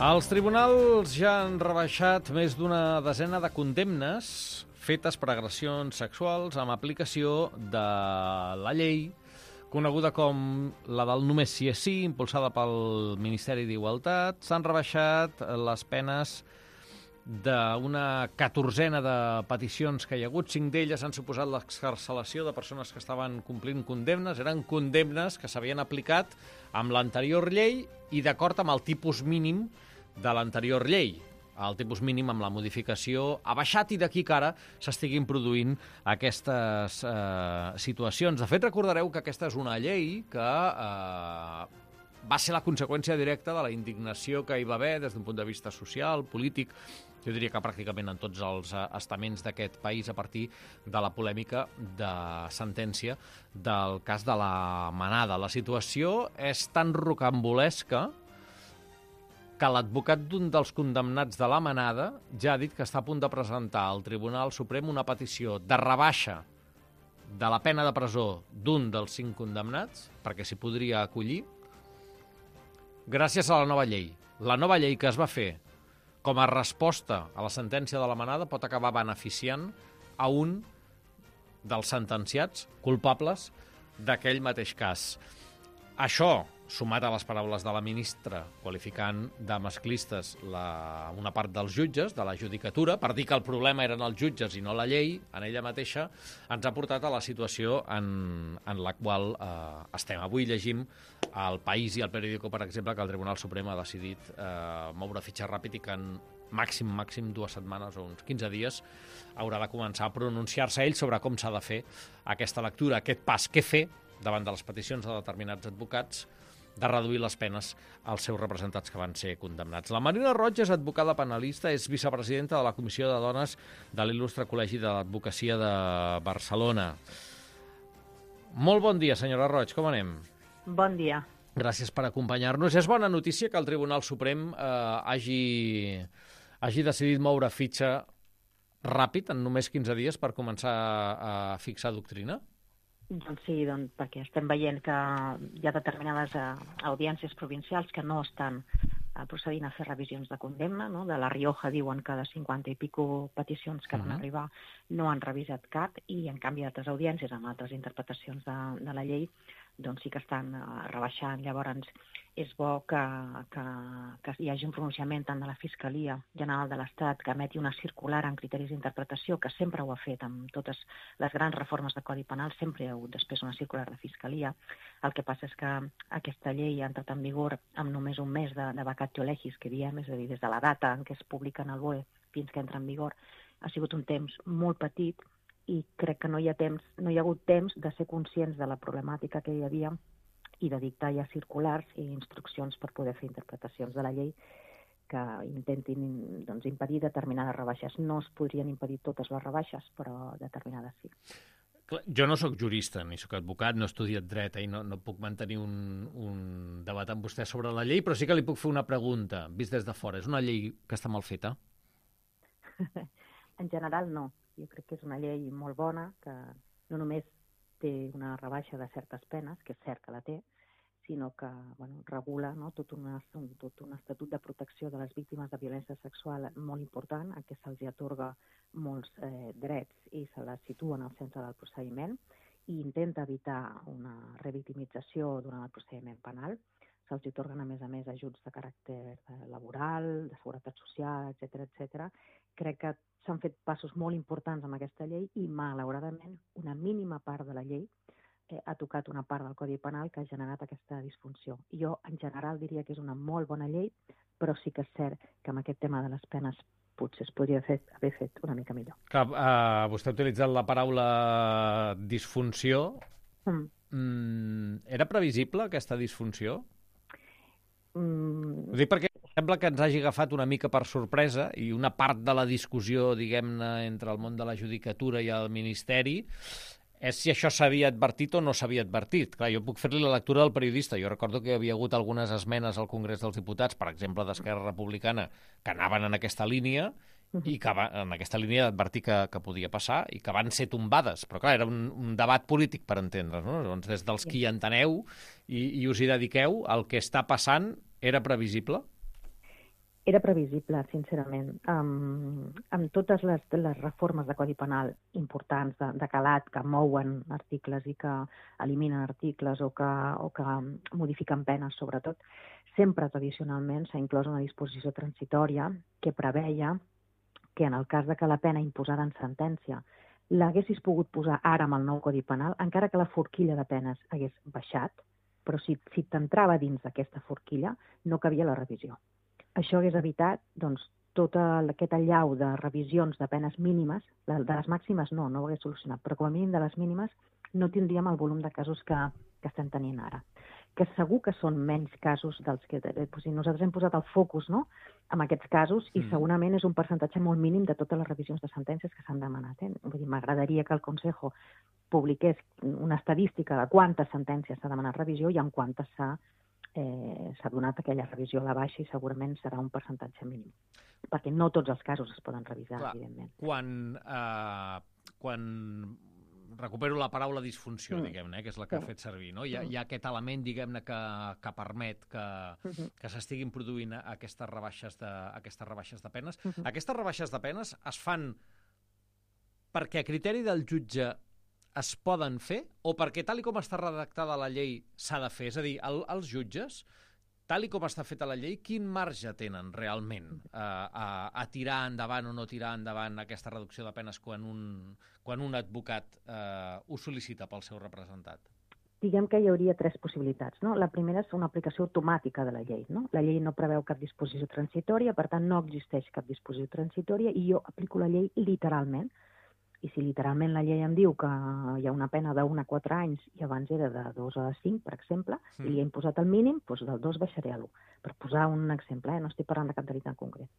Els tribunals ja han rebaixat més d'una desena de condemnes fetes per agressions sexuals amb aplicació de la llei coneguda com la del només sí és sí, impulsada pel Ministeri d'Igualtat. S'han rebaixat les penes d'una 14ena de peticions que hi ha hagut. 5 d'elles han suposat l'excarcelació de persones que estaven complint condemnes. Eren condemnes que s'havien aplicat amb l'anterior llei i d'acord amb el tipus mínim de l'anterior llei. El tipus mínim amb la modificació ha baixat i d'aquí que ara s'estiguin produint aquestes situacions. De fet, recordareu que aquesta és una llei que va ser la conseqüència directa de la indignació que hi va haver des d'un punt de vista social, polític, jo diria que pràcticament en tots els estaments d'aquest país a partir de la polèmica de sentència del cas de la Manada. La situació és tan rocambolesca que l'advocat d'un dels condemnats de la Manada ja ha dit que està a punt de presentar al Tribunal Suprem una petició de rebaixa de la pena de presó d'un dels 5 condemnats, perquè s'hi podria acollir, gràcies a la nova llei. La nova llei que es va fer com a resposta a la sentència de la Manada pot acabar beneficiant a un dels sentenciats culpables d'aquell mateix cas. Això, sumat a les paraules de la ministra qualificant de masclistes una part dels jutges, de la judicatura, per dir que el problema eren els jutges i no la llei, en ella mateixa, ens ha portat a la situació en la qual estem. Avui llegim al País i al Periódico, per exemple, que el Tribunal Suprem ha decidit moure fitxa ràpid i que en màxim 2 setmanes o uns 15 dies haurà de començar a pronunciar-se ell sobre com s'ha de fer aquesta lectura, aquest pas, què fer davant de les peticions de determinats advocats de reduir les penes als seus representats que van ser condemnats. La Marina Roig és advocada penalista, és vicepresidenta de la Comissió de Dones de l'Il·lustre Col·legi de l'Advocacia de Barcelona. Molt bon dia, senyora Roig, com anem? Bon dia. Gràcies per acompanyar-nos. És bona notícia que el Tribunal Suprem hagi decidit moure fitxa ràpid, en només 15 dies, per començar a fixar doctrina? Doncs sí, perquè estem veient que hi ha determinades audiències provincials que no estan procedint a fer revisions de condemna, no? De la Rioja diuen que de 50 i pico peticions que van arribar no han revisat cap i en canvi altres audiències amb altres interpretacions de la llei doncs sí que estan rebaixant. Llavors és bo que hi hagi un pronunciament tant de la Fiscalia General de l'Estat que emeti una circular amb criteris d'interpretació, que sempre ho ha fet amb totes les grans reformes de Codi Penal, sempre hi ha hagut després una circular de Fiscalia. El que passa és que aquesta llei ha entrat en vigor amb només un mes de vacatio legis, que diem, és a dir, des de la data en què es publica en el BOE fins que entra en vigor, ha sigut un temps molt petit i crec que no hi ha hagut temps de ser conscients de la problemàtica que hi havia i de dictar ja circulars i instruccions per poder fer interpretacions de la llei que intentin impedir determinades rebaixes. No es podrien impedir totes les rebaixes, però determinades sí. Jo no sóc jurista, ni sóc advocat, no he estudiat dret i no puc mantenir un debat amb vostè sobre la llei, però sí que li puc fer una pregunta, vist des de fora. És una llei que està mal feta? En general no. Jo crec que és una llei molt bona, que no només té una rebaixa de certes penes, que és cert que la té, sinó que regula tot un estatut de protecció de les víctimes de violència sexual molt important, en què se'ls atorga molts drets i se les situa en el centre del procediment i intenta evitar una revictimització durant el procediment penal. Se'ls atorguen, a més, ajuts de caràcter laboral, de seguretat social, etc. Crec que s'han fet passos molt importants amb aquesta llei i, malauradament, una mínima part de la llei ha tocat una part del Codi Penal que ha generat aquesta disfunció. Jo, en general, diria que és una molt bona llei, però sí que és cert que amb aquest tema de les penes potser es podria haver fet una mica millor. Vostè ha utilitzat la paraula disfunció. Era previsible aquesta disfunció? Ho dic perquè sembla que ens hagi agafat una mica per sorpresa i una part de la discussió, diguem-ne, entre el món de la judicatura i el Ministeri és si això s'havia advertit o no s'havia advertit. Clar, jo puc fer-li la lectura del periodista. Jo recordo que hi havia hagut algunes esmenes al Congrés dels Diputats, per exemple, d'Esquerra Republicana, que anaven en aquesta línia i que en aquesta línia d'advertir que podia passar i que van ser tombades. Però clar, era un debat polític, per entendre's, no? Doncs des dels qui enteneu i us hi dediqueu, el que està passant era previsible? Era previsible, sincerament. Amb totes les reformes de Codi Penal importants de calat que mouen articles i que eliminen articles o que modifiquen penes, sobretot, sempre tradicionalment s'ha inclòs una disposició transitòria que preveia que en el cas de que la pena imposada en sentència l'haguessis pogut posar ara amb el nou Codi Penal, encara que la forquilla de penes hagués baixat, però si t'entrava dins d'aquesta forquilla no cabia la revisió. Això hagués evitat doncs, tot aquest allau de revisions de penes mínimes, de les màximes no ho hagués solucionat, però com a mínim de les mínimes no tindríem el volum de casos que estem tenint ara. Que segur que són menys casos dels que... Nosaltres hem posat el focus en aquests casos i segurament és un percentatge molt mínim de totes les revisions de sentències que s'han demanat. Vull dir, m'agradaria que el Consejo publiqués una estadística de quantes sentències s'ha demanat revisió i en quantes s'ha donat aquella revisió a la baixa i segurament serà un percentatge mínim. Perquè no tots els casos es poden revisar, evidentment. Quan recupero la paraula disfunció, diguem-ne, que és la que ha fet servir, no? Hi ha aquest element, diguem-ne, que permet que s'estiguin produint aquestes rebaixes de penes. Aquestes rebaixes de penes es fan perquè a criteri del jutge es poden fer o perquè tal com està redactada la llei s'ha de fer? És a dir, els jutges, tal com està feta la llei, quin marge tenen realment a tirar endavant o no tirar endavant aquesta reducció de penes quan un advocat ho sol·licita pel seu representat? Diguem que hi hauria tres possibilitats. La primera és una aplicació automàtica de la llei. La llei no preveu cap disposició transitòria, per tant no existeix cap disposició transitòria i jo aplico la llei literalment. I si literalment la llei em diu que hi ha una pena d'1 a 4 anys i abans era de 2 a 5, per exemple, i li he imposat el mínim, doncs del 2 baixaré a l'1. Per posar un exemple, no estic parlant de cap delit en concret.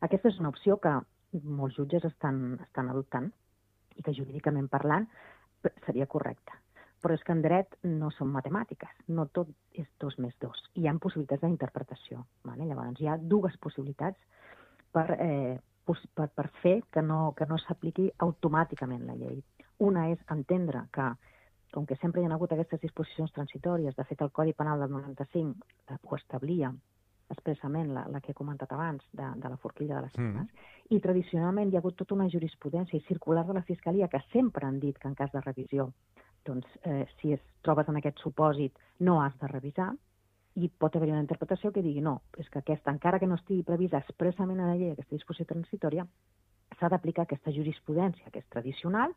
Aquesta és una opció que molts jutges estan adoptant i que jurídicament parlant seria correcta. Però és que en dret no són matemàtiques, no tot és 2 més 2. Hi ha possibilitats d'interpretació. Llavors hi ha dues possibilitats per fer que no s'apliqui automàticament la llei. Una és entendre que, com que sempre hi ha hagut aquestes disposicions transitòries, de fet el Codi Penal del 95 ho establia expressament la que he comentat abans, de la forquilla de les penes, i tradicionalment hi ha hagut tota una jurisprudència i circular de la Fiscalia que sempre han dit que en cas de revisió, doncs, si es trobes en aquest supòsit no has de revisar, i pot haver-hi una interpretació que digui no, és que aquesta, encara que no estigui prevista expressament a la llei aquesta disposició transitòria, s'ha d'aplicar aquesta jurisprudència que és tradicional,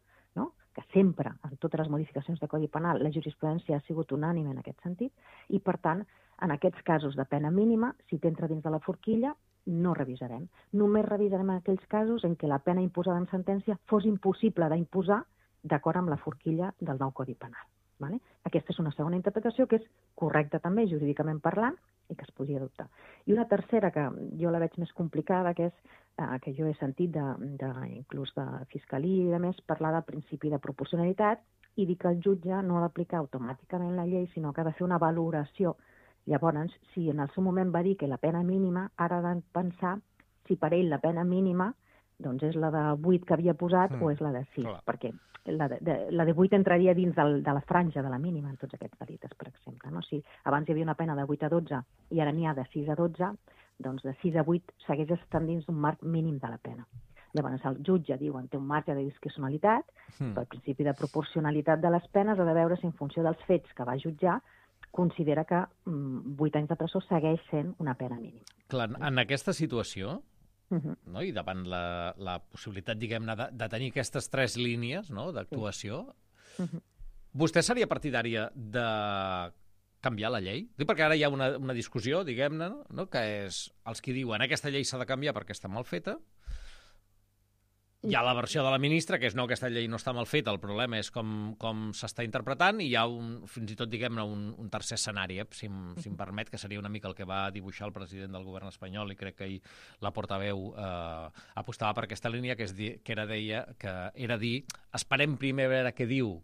que sempre, en totes les modificacions de Codi Penal, la jurisprudència ha sigut unànime en aquest sentit, i per tant, en aquests casos de pena mínima, si t'entra dins de la forquilla, no revisarem. Només revisarem aquells casos en què la pena imposada en sentència fos impossible d'imposar d'acord amb la forquilla del nou Codi Penal. Aquesta és una segona interpretació que és correcta també, jurídicament parlant, i que es podria adoptar. I una tercera, que jo la veig més complicada, que és que jo he sentit inclús de Fiscalia i de més, parlar del principi de proporcionalitat i dir que el jutge no ha d'aplicar automàticament la llei, sinó que ha de fer una valoració. Llavors, si en el seu moment va dir que la pena mínima, ara ha de pensar si per ell la pena mínima doncs és la de 8 que havia posat o és la de 6, perquè la de 8 entraria dins de la franja de la mínima en tots aquests delictes, per exemple. Si abans hi havia una pena de 8 a 12 i ara n'hi ha de 6 a 12, doncs de 6 a 8 segueix estant dins d'un marc mínim de la pena. Llavors el jutge diuen té un marge de discrecionalitat, però el principi de proporcionalitat de les penes ha de veure si en funció dels fets que va jutjar considera que 8 anys de presó segueix sent una pena mínima. Clar, en aquesta situació, i davant la possibilitat, diguem-ne, de tenir aquestes 3 línies d'actuació, vostè seria partidària de canviar la llei? Perquè ara hi ha una discussió, diguem-ne, que és els que diuen aquesta llei s'ha de canviar perquè està mal feta. Hi ha la versió de la ministra, que és no, aquesta llei no està mal feta, el problema és com s'està interpretant, i hi ha fins i tot, diguem-ne, un tercer escenari, si em permet, que seria una mica el que va dibuixar el president del govern espanyol, i crec que ahir la portaveu apostava per aquesta línia, que era dir, esperem primer a veure què diu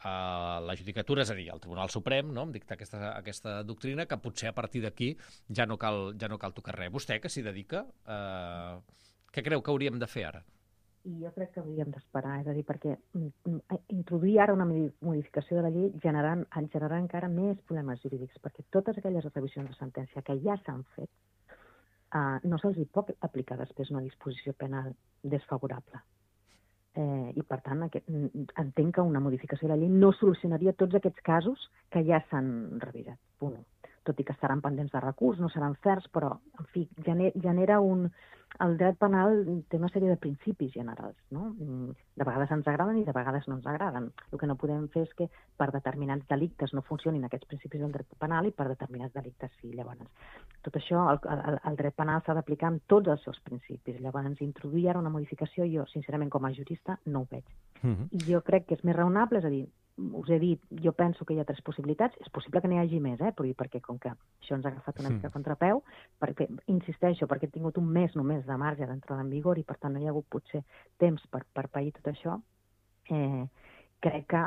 la judicatura, és a dir, el Tribunal Suprem, em dicta aquesta doctrina, que potser a partir d'aquí ja no cal tocar res. Vostè, que s'hi dedica, què creu que hauríem de fer ara? I jo crec que hauríem d'esperar, és a dir, perquè introduir ara una modificació de la llei generarà encara més problemes jurídics, perquè totes aquelles revisions de sentència que ja s'han fet no se'ls pot aplicar després una disposició penal desfavorable. I, per tant, entenc que una modificació de la llei no solucionaria tots aquests casos que ja s'han revisat. Punt. Tot i que estaran pendents de recurs, no seran certs, però, en fi, genera el dret penal té una sèrie de principis generals, no? De vegades ens agraden i de vegades no ens agraden. El que no podem fer és que per determinats delictes no funcionin aquests principis del dret penal i per determinats delictes sí. Llavors, tot això, el dret penal s'ha d'aplicar amb tots els seus principis. Llavors, introduir ara una modificació, jo, sincerament, com a jurista, no ho veig. I jo crec que és més raonable, és a dir, us he dit, jo penso que hi ha 3 possibilitats, és possible que n'hi hagi més, perquè com que això ens ha agafat una mica a contrapeu, perquè, insisteixo, perquè he tingut un mes només de marge d'entrada en vigor i per tant no hi ha hagut potser temps per pair tot això, crec que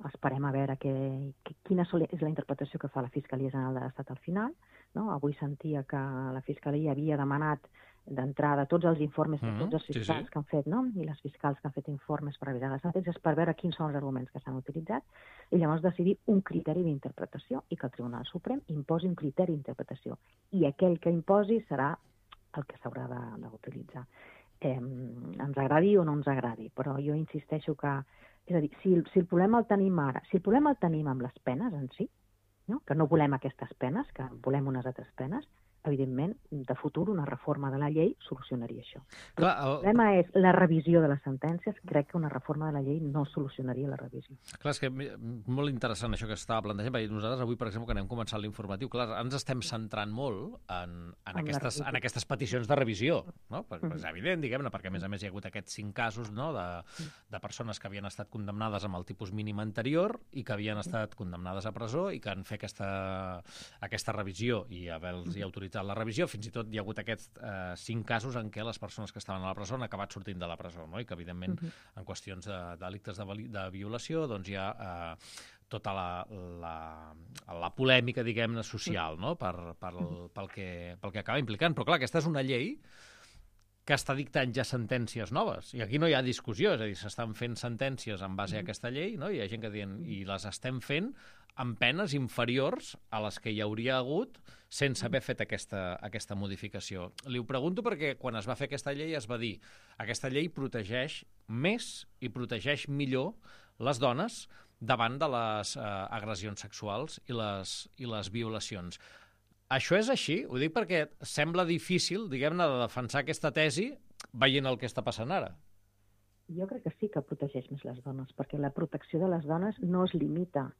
esperem a veure quina és la interpretació que fa la Fiscalia General de l'Estat al final. No? Avui sentia que la Fiscalia havia demanat d'entrada tots els informes de tots els fiscals que han fet, no? I les fiscals que han fet informes per revisar les sentències per veure quins són els arguments que s'han utilitzat i llavors decidir un criteri d'interpretació i que el Tribunal Suprem imposi un criteri d'interpretació. I aquell que imposi serà el que s'haurà d'utilitzar. Ens agradi o no ens agradi, però jo insisteixo que, és a dir, si el problema el tenim ara, si el problema el tenim amb les penes en si, no? Que no volem aquestes penes, que volem unes altres penes, evidentment, de futur una reforma de la llei solucionaria això. Però el problema és la revisió de les sentències. Crec que una reforma de la llei no solucionaria la revisió. Clar, és que molt interessant això que estava plantejant, perquè nosaltres avui, per exemple, que anem començant l'informatiu, clar, ens estem centrant molt en aquestes peticions de revisió, no? Perquè és evident, diguem-ne, perquè a més hi ha hagut aquests 5 casos, no?, de persones que havien estat condemnades amb el tipus mínim anterior i que havien estat condemnades a presó i que han fet aquesta revisió i haver-los autoritzat la revisió. Fins i tot hi ha hagut aquests 5 casos en què les persones que estaven a la presó han acabat sortint de la presó, no? I que, evidentment, en qüestions de delictes de violació, doncs hi ha tota la polèmica, diguem-ne, social, no?, pel que acaba implicant. Però, clar, aquesta és una llei que està dictant ja sentències noves. I aquí no hi ha discussió, és a dir, s'estan fent sentències en base a aquesta llei, no? Hi ha gent que diuen, i les estem fent amb penes inferiors a les que hi hauria hagut sense haver fet aquesta modificació. Li ho pregunto perquè quan es va fer aquesta llei es va dir aquesta llei protegeix més i protegeix millor les dones davant de les agressions sexuals i les violacions. Això és així? Ho dic perquè sembla difícil, diguem-ne, de defensar aquesta tesi veient el que està passant ara. Jo crec que sí que protegeix més les dones, perquè la protecció de les dones no es limita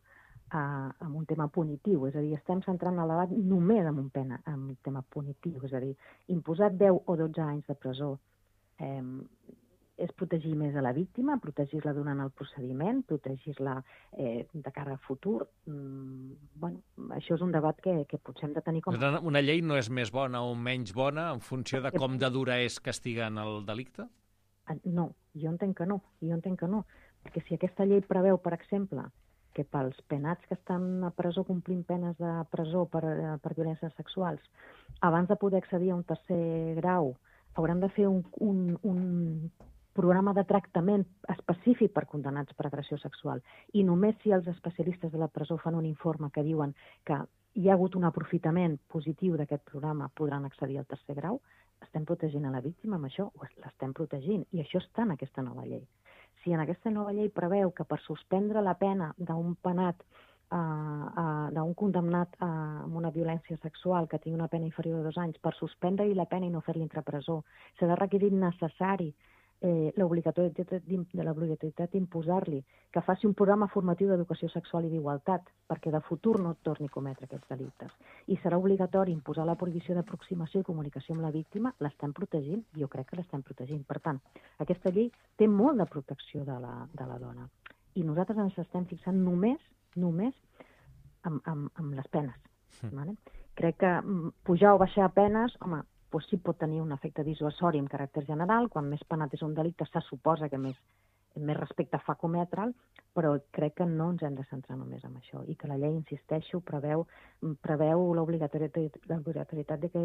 a un tema punitiu, és a dir, estem centrant el debat només en un tema punitiu, és a dir, imposar 10 o 12 anys de presó és protegir més a la víctima, protegir-la durant el procediment, protegir-la de cara al futur. Bueno, això és un debat que potser hem de tenir com... Una llei no és més bona o menys bona en funció de com de dura és castigant el delicte? No, jo entenc que no, perquè si aquesta llei preveu, per exemple, que pels penats que estan a presó complint penes de presó per violències sexuals, abans de poder accedir a un 3è grau, hauran de fer un programa de tractament específic per condenats per agressió sexual. I només si els especialistes de la presó fan un informe que diuen que hi ha hagut un aprofitament positiu d'aquest programa, podran accedir al 3è grau, estem protegint a la víctima amb això? L'estem protegint. I això està en aquesta nova llei. Si en aquesta nova llei preveu que per suspendre la pena d'un penat, d'un condemnat amb una violència sexual que tingui una pena inferior a 2 anys, per suspendre-li la pena i no fer-li entrar a presó, serà requisit necessari l'obligatorietat d'imposar-li que faci un programa formatiu d'educació sexual i d'igualtat perquè de futur no torni a cometre aquests delictes. I serà obligatori imposar la prohibició d'aproximació i comunicació amb la víctima. L'estem protegint? Jo crec que l'estem protegint. Per tant, aquesta llei té molt de protecció de la dona. I nosaltres ens estem fixant només amb les penes. Vale? Crec que pujar o baixar penes, home, doncs sí pot tenir un efecte dissuasori amb caràcter general. Quan més penat és un delicte, se suposa que més respecte fa cometre'l, però crec que no ens hem de centrar només en això i que la llei, insisteixo, preveu l'obligatorietat de que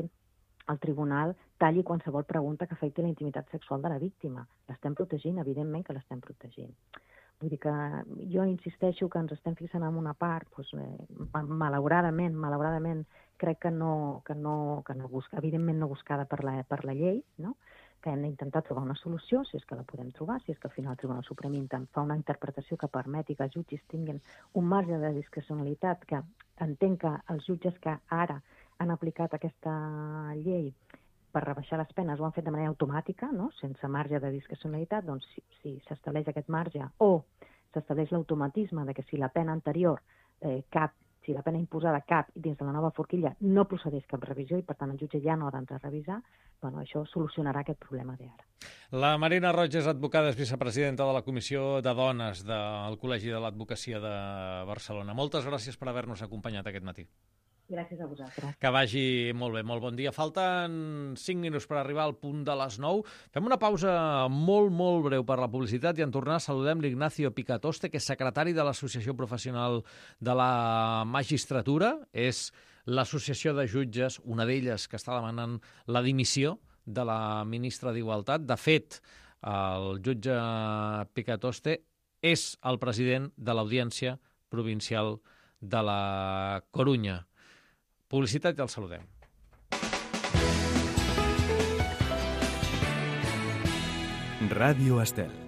el tribunal talli qualsevol pregunta que afecti la intimitat sexual de la víctima. L'estem protegint, evidentment que l'estem protegint. Vull dir que jo insisteixo que ens estem fixant en una part, doncs, malauradament, crec que evidentment no buscada per la llei, no? Que hem d'intentar trobar una solució, si és que la podem trobar, si és que al final el Tribunal Suprem fa una interpretació que permeti que els jutges tinguin un marge de discrecionalitat, que entenc que els jutges que ara han aplicat aquesta llei per rebaixar les penes ho han fet de manera automàtica, no? Sense marge de discrecionalitat, doncs si s'estableix aquest marge o s'estableix l'automatisme de que si la pena anterior si la pena imposada cap dins de la nova forquilla no procedeix cap revisió i, per tant, el jutge ja no ha d'entrar a revisar, bueno, això solucionarà aquest problema d'ara. La Marina Roig és advocada, és vicepresidenta de la Comissió de Dones del Col·legi de l'Advocacia de Barcelona. Moltes gràcies per haver-nos acompanyat aquest matí. Gràcies a vosaltres. Que vagi molt bé, molt bon dia. Falten 5 minuts per arribar al punt de les 9. Fem una pausa molt, molt breu per la publicitat i en tornar saludem l'Ignacio Picatoste, que és secretari de l'Associació Professional de la Magistratura. És l'associació de jutges, una d'elles que està demanant la dimissió de la ministra d'Igualtat. De fet, el jutge Picatoste és el president de l'Audiència Provincial de la Corunya. Publicitat i el saludem. Ràdio Estel.